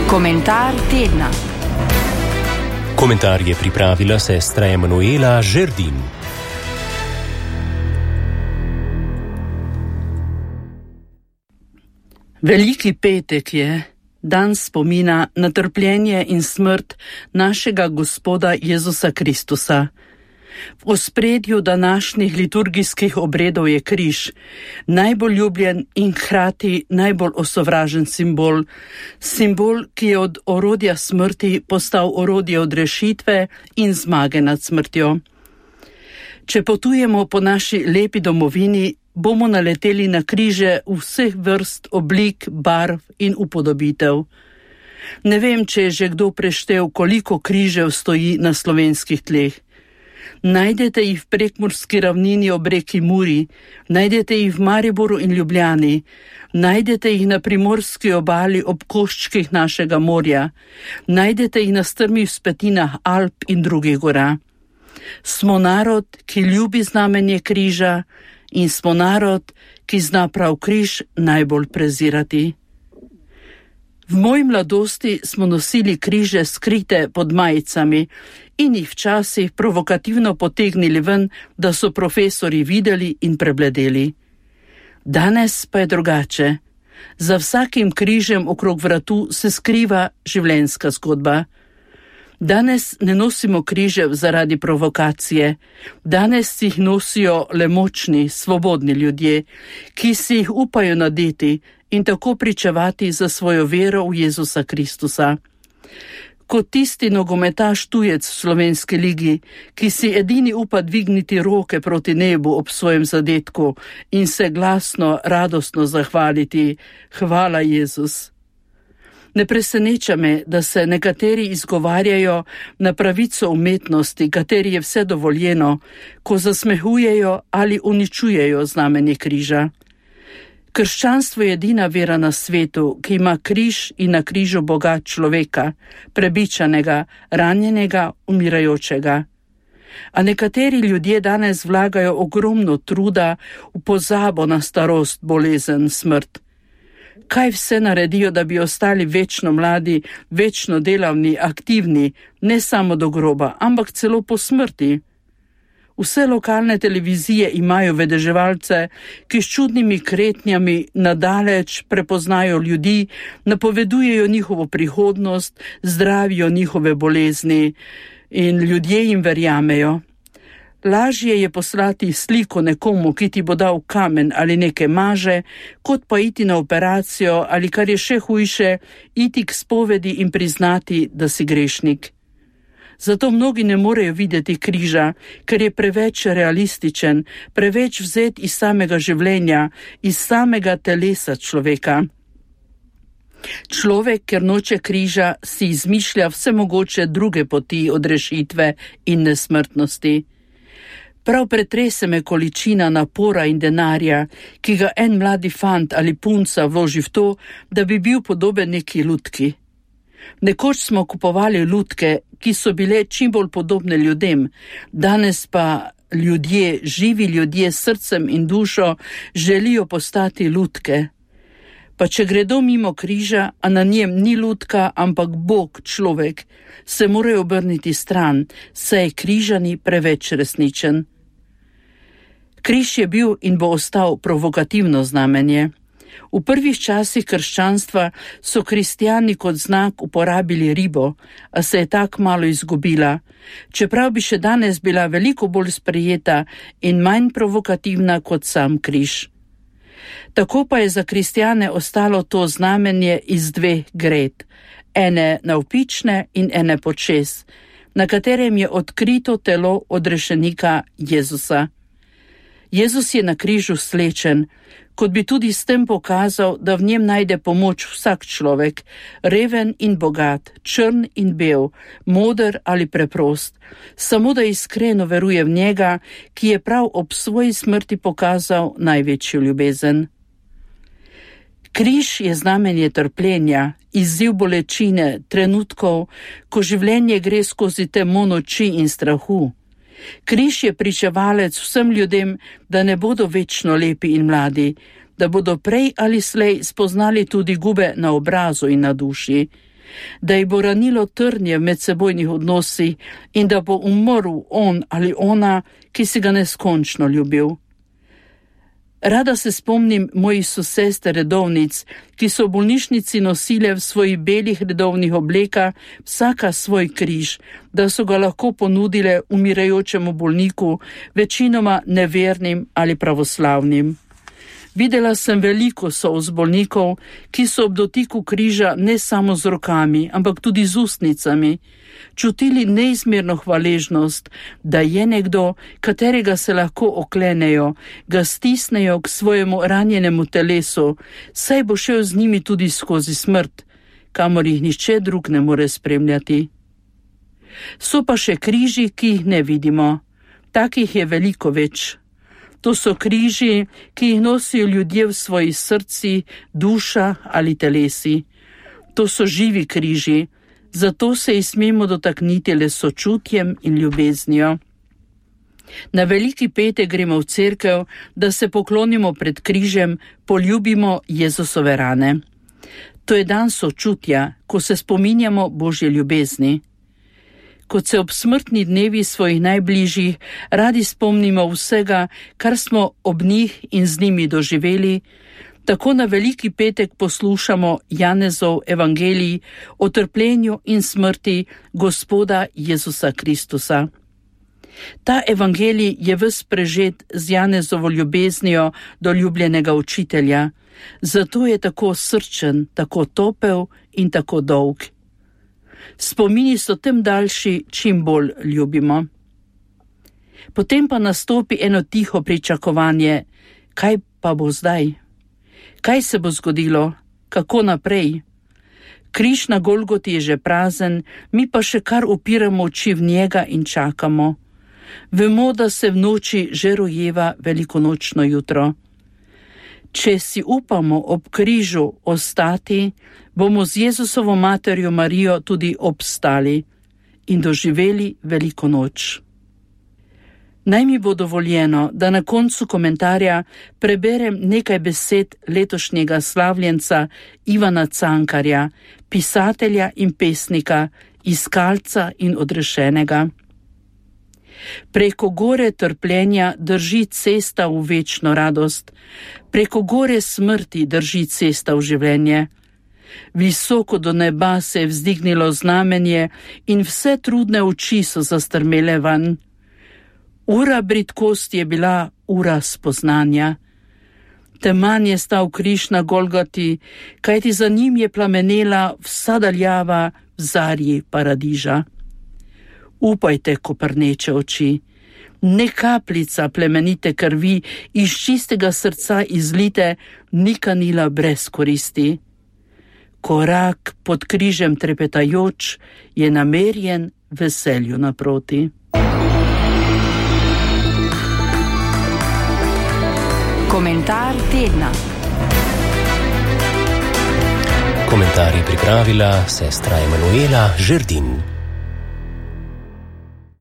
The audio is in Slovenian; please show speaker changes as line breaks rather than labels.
Komentar tedna.
Komentar je pripravila sestra Emanuela Žerdin.
Veliki petek je dan spomina na trpljenje in smrt našega Gospoda Jezusa Kristusa. V ospredju današnjih liturgijskih obredov je križ, najbolj ljubljen in hkrati najbolj osovražen simbol, ki je od orodja smrti postal orodje odrešitve in zmage nad smrtjo. Če potujemo po naši lepi domovini, bomo naleteli na križe vseh vrst, oblik, barv in upodobitev. Ne vem, če je že kdo preštel, koliko križev stoji na slovenskih tleh. Najdete jih v Prekmurski ravnini ob reki Muri, najdete jih v Mariboru in Ljubljani, najdete jih na primorski obali ob koščkih našega morja, najdete jih na strmih vzpetinah Alp in drugih gora. Smo narod, ki ljubi znamenje križa, in smo narod, ki zna prav križ najbolj prezirati. V moji mladosti smo nosili križe skrite pod majicami in jih včasih provokativno potegnili ven, da so profesori videli in prebledeli. Danes pa je drugače. Za vsakim križem okrog vratu se skriva življenjska zgodba. Danes ne nosimo križev zaradi provokacije. Danes jih nosijo le močni, svobodni ljudje, ki si jih upajo nadeti in tako pričevati za svojo vero v Jezusa Kristusa. Kot tisti nogometaš tujec v slovenski ligi, ki si edini upa dvigniti roke proti nebu ob svojem zadetku in se glasno, radostno zahvaliti: Hvala, Jezus. Ne preseneča me, da se nekateri izgovarjajo na pravico umetnosti, kateri je vse dovoljeno, ko zasmehujejo ali uničujejo znamenje križa. Krščanstvo je edina vera na svetu, ki ima križ in na križu Boga človeka, prebičanega, ranjenega, umirajočega. A nekateri ljudje danes vlagajo ogromno truda v pozabo na starost, bolezen, smrt. Kaj vse naredijo, da bi ostali večno mladi, večno delavni, aktivni, ne samo do groba, ampak celo po smrti? Vse lokalne televizije imajo vedeževalce, ki s čudnimi kretnjami nadaleč prepoznajo ljudi, napovedujejo njihovo prihodnost, zdravijo njihove bolezni in ljudje jim verjamejo. Lažje je poslati sliko nekomu, ki ti bo dal kamen ali neke maže, kot pa iti na operacijo ali, kar je še hujše, iti k spovedi in priznati, da si grešnik. Zato mnogi ne morejo videti križa, ker je preveč realističen, preveč vzet iz samega življenja, iz samega telesa človeka. Človek, ker noče križa, si izmišlja vse mogoče druge poti odrešitve in nesmrtnosti. Prav pretrese me količina napora in denarja, ki ga en mladi fant ali punca vloži v to, da bi bil podoben neki lutki. Nekoč smo kupovali lutke, ki so bile čim bolj podobne ljudem, danes pa ljudje, živi ljudje s srcem in dušo, želijo postati lutke. Pa če gredo mimo križa, a na njem ni lutka, ampak Bog, človek, se morajo obrniti stran, saj je križani preveč resničen. Križ je bil in bo ostal provokativno znamenje. V prvih časih krščanstva so kristjani kot znak uporabili ribo, a se je tak malo izgubila, čeprav bi še danes bila veliko bolj sprejeta in manj provokativna kot sam križ. Tako pa je za kristjane ostalo to znamenje iz dveh gred, ene navpične in ene počez, na katerem je odkrito telo odrešenika Jezusa. Jezus je na križu slečen, kot bi tudi s tem pokazal, da v njem najde pomoč vsak človek, reven in bogat, črn in bel, moder ali preprost, samo da iskreno veruje v njega, ki je prav ob svoji smrti pokazal največjo ljubezen. Križ je znamenje trpljenja, izziv bolečine, trenutkov, ko življenje gre skozi temo noči in strahu. Križ je pričevalec vsem ljudem, da ne bodo večno lepi in mladi, da bodo prej ali slej spoznali tudi gube na obrazu in na duši. da ji bo ranilo trnje v medsebojnih odnosih in da bo umrl on ali ona, ki si ga neskončno ljubil. Rada se spomnim mojih sosester redovnic, ki so v bolnišnici nosile v svojih belih redovnih oblekah vsaka svoj križ, da so ga lahko ponudile umirajočemu bolniku, večinoma nevernim ali pravoslavnim. Videla sem veliko solz bolnikov, ki so ob dotiku križa ne samo z rokami, ampak tudi z ustnicami, čutili neizmerno hvaležnost, da je nekdo, katerega se lahko oklenejo, ga stisnejo k svojemu ranjenemu telesu, saj bo šel z njimi tudi skozi smrt, kamor jih nihče drug ne more spremljati. So pa še križi, ki jih ne vidimo. Takih je veliko več. To so križi, ki jih nosijo ljudje v svojih srcih, duša ali telesi. To so živi križi, zato se jih smemo dotakniti le s sočutjem in ljubeznijo. Na Veliki petek gremo v cerkev, da se poklonimo pred križem, poljubimo Jezusove rane. To je dan sočutja, ko se spominjamo Božje ljubezni. Kot se ob smrtni dnevi svojih najbližjih radi spomnimo vsega, kar smo ob njih in z njimi doživeli, tako na Veliki petek poslušamo Janezov evangelij o trpljenju in smrti Gospoda Jezusa Kristusa. Ta evangelij je ves prežet z Janezovo ljubeznijo do ljubljenega učitelja, zato je tako srčen, tako topel in tako dolg. Spomini so tem daljši, čim bolj ljubimo. Potem pa nastopi eno tiho pričakovanje, kaj pa bo zdaj? Kaj se bo zgodilo? Kako naprej? Križ na Golgoti je že prazen, mi pa še kar upiramo oči v njega in čakamo. Vemo, da se v noči že rojeva velikonočno jutro. Če si upamo ob križu ostati, bomo z Jezusovo materjo Marijo tudi obstali in doživeli veliko noč. Naj mi bo dovoljeno, da na koncu komentarja preberem nekaj besed letošnjega slavljenca Ivana Cankarja, pisatelja in pesnika, iskalca in odrešenega. Preko gore trpljenja drži cesta v večno radost, preko gore smrti drži cesta v življenje. Visoko do neba se je vzdignilo znamenje in vse trudne oči so zastrmele ven. Ura bridkosti je bila ura spoznanja. Teman je stal križ na Golgoti, kajti za njim je plamenela vsa daljava v zarji paradiža. Upajte, koprneče oči, ne kapljica plemenite krvi iz čistega srca izlite ni kanila brez koristi. Korak pod križem trepetajoč je namerjen veselju naproti.
Komentar tedna.
Komentar je pripravila sestra Emanuela Žerdin.